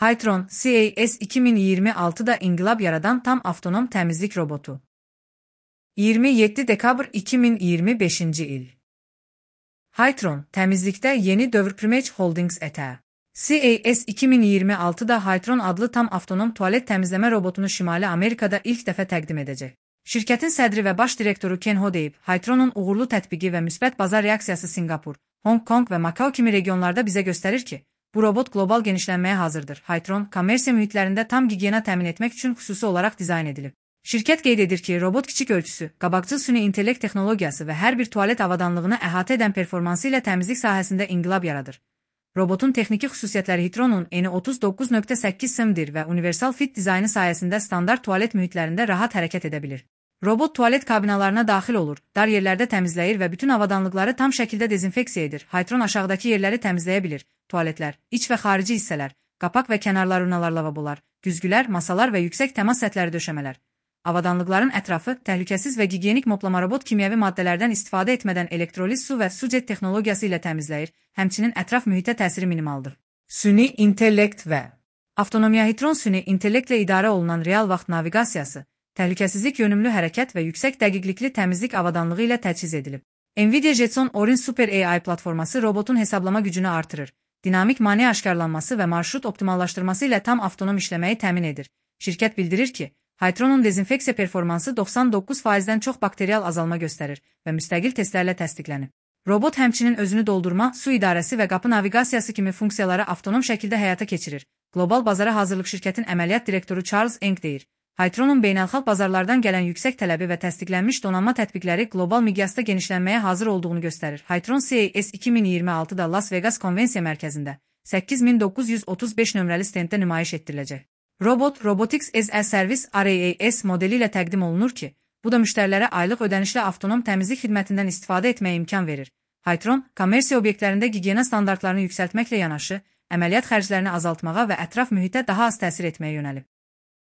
Hytron, CAS 2026'da inqilab yaradan tam avtonom təmizlik robotu. 27 dekabr 2025-ci il. Hytron, təmizlikdə yeni dövr Primage Holdings ətəyi. CAS 2026'da Hytron adlı tam avtonom tualet təmizləmə robotunu Şimali Amerikada ilk dəfə təqdim edəcək. Şirkətin sədri və baş direktoru Ken Ho deyib, Hytron'un uğurlu tətbiqi və müsbət bazar reaksiyası Singapur, Hong Kong və Macao kimi regionlarda bizə göstərir ki, bu robot qlobal genişlənməyə hazırdır. Hytron, kommersiya mühitlərində tam gigiyena təmin etmək üçün xüsusi olaraq dizayn edilib. Şirkət qeyd edir ki, robot kiçik ölçüsü, qabaqcıl süni intellekt texnologiyası və hər bir tualet avadanlığını əhatə edən performansı ilə təmizlik sahəsində inqilab yaradır. Robotun texniki xüsusiyyətləri Hytron'un eni 39.8 sm-dir və universal fit dizaynı sayəsində standart tualet mühitlərində rahat hərəkət edə bilir. Robot tualet kabinalarına daxil olur, dar yerlərdə təmizləyir və bütün avadanlıqları tam şəkildə dezinfeksiya edir. Hytron aşağıdakı yerləri təmizləyə bilir: tualetlər, iç və xarici hissələr, qapaq və kənarlar, urnalar, lavabolar, güzgülər, masalar və yüksək təmas sətləri, döşəmələr. Avadanlıqların ətrafı təhlükəsiz və gigiyenik moplama. Robot kimyəvi maddələrdən istifadə etmədən elektroliz su və sujet texnologiyası ilə təmizləyir, həmçinin ətraf mühitə təsiri minimaldır. Süni intellekt və avtonomiya. Hytron süni intellektlə idarə olunan real vaxt naviqasiyası, təhlükəsizlik, yönümlü hərəkət və yüksək dəqiqlikli təmizlik avadanlığı ilə təchiz edilib. Nvidia Jetson Orin Super AI platforması robotun hesablama gücünü artırır, dinamik maneə aşkarlanması və marşrut optimallaşdırması ilə tam avtonom işləməyi təmin edir. Şirkət bildirir ki, Hytron'un dezinfeksiya performansı 99%-dən çox bakterial azalma göstərir və müstəqil testlərlə təsdiqlənib. Robot həmçinin özünü doldurma, su idarəsi və qapı naviqasiyası kimi funksiyaları avtonom şəkildə həyata keçirir. Qlobal bazara hazırlıq şirkətin əməliyyat direktoru Charles Eng deyir. Hytron'un beynəlxalq bazarlardan gələn yüksək tələbi və təsdiqlənmiş donanma tətbiqləri qlobal miqyasda genişlənməyə hazır olduğunu göstərir. Hytron CAS 2026'da Las Vegas Konvensiya Mərkəzində 8935 nömrəli stenddə nümayiş etdiriləcək. Robot, Robotics as a Service RaaS modeli ilə təqdim olunur ki, bu da müştərilərə aylıq ödənişli avtonom təmizlik xidmətindən istifadə etməyə imkan verir. Hytron, kommersiya obyektlərində gigiyena standartlarını yüksəltməklə yanaşı, əməliyyat xərclərini azaltmağa və ətraf mühitə daha az təsir etməyə yönəlib.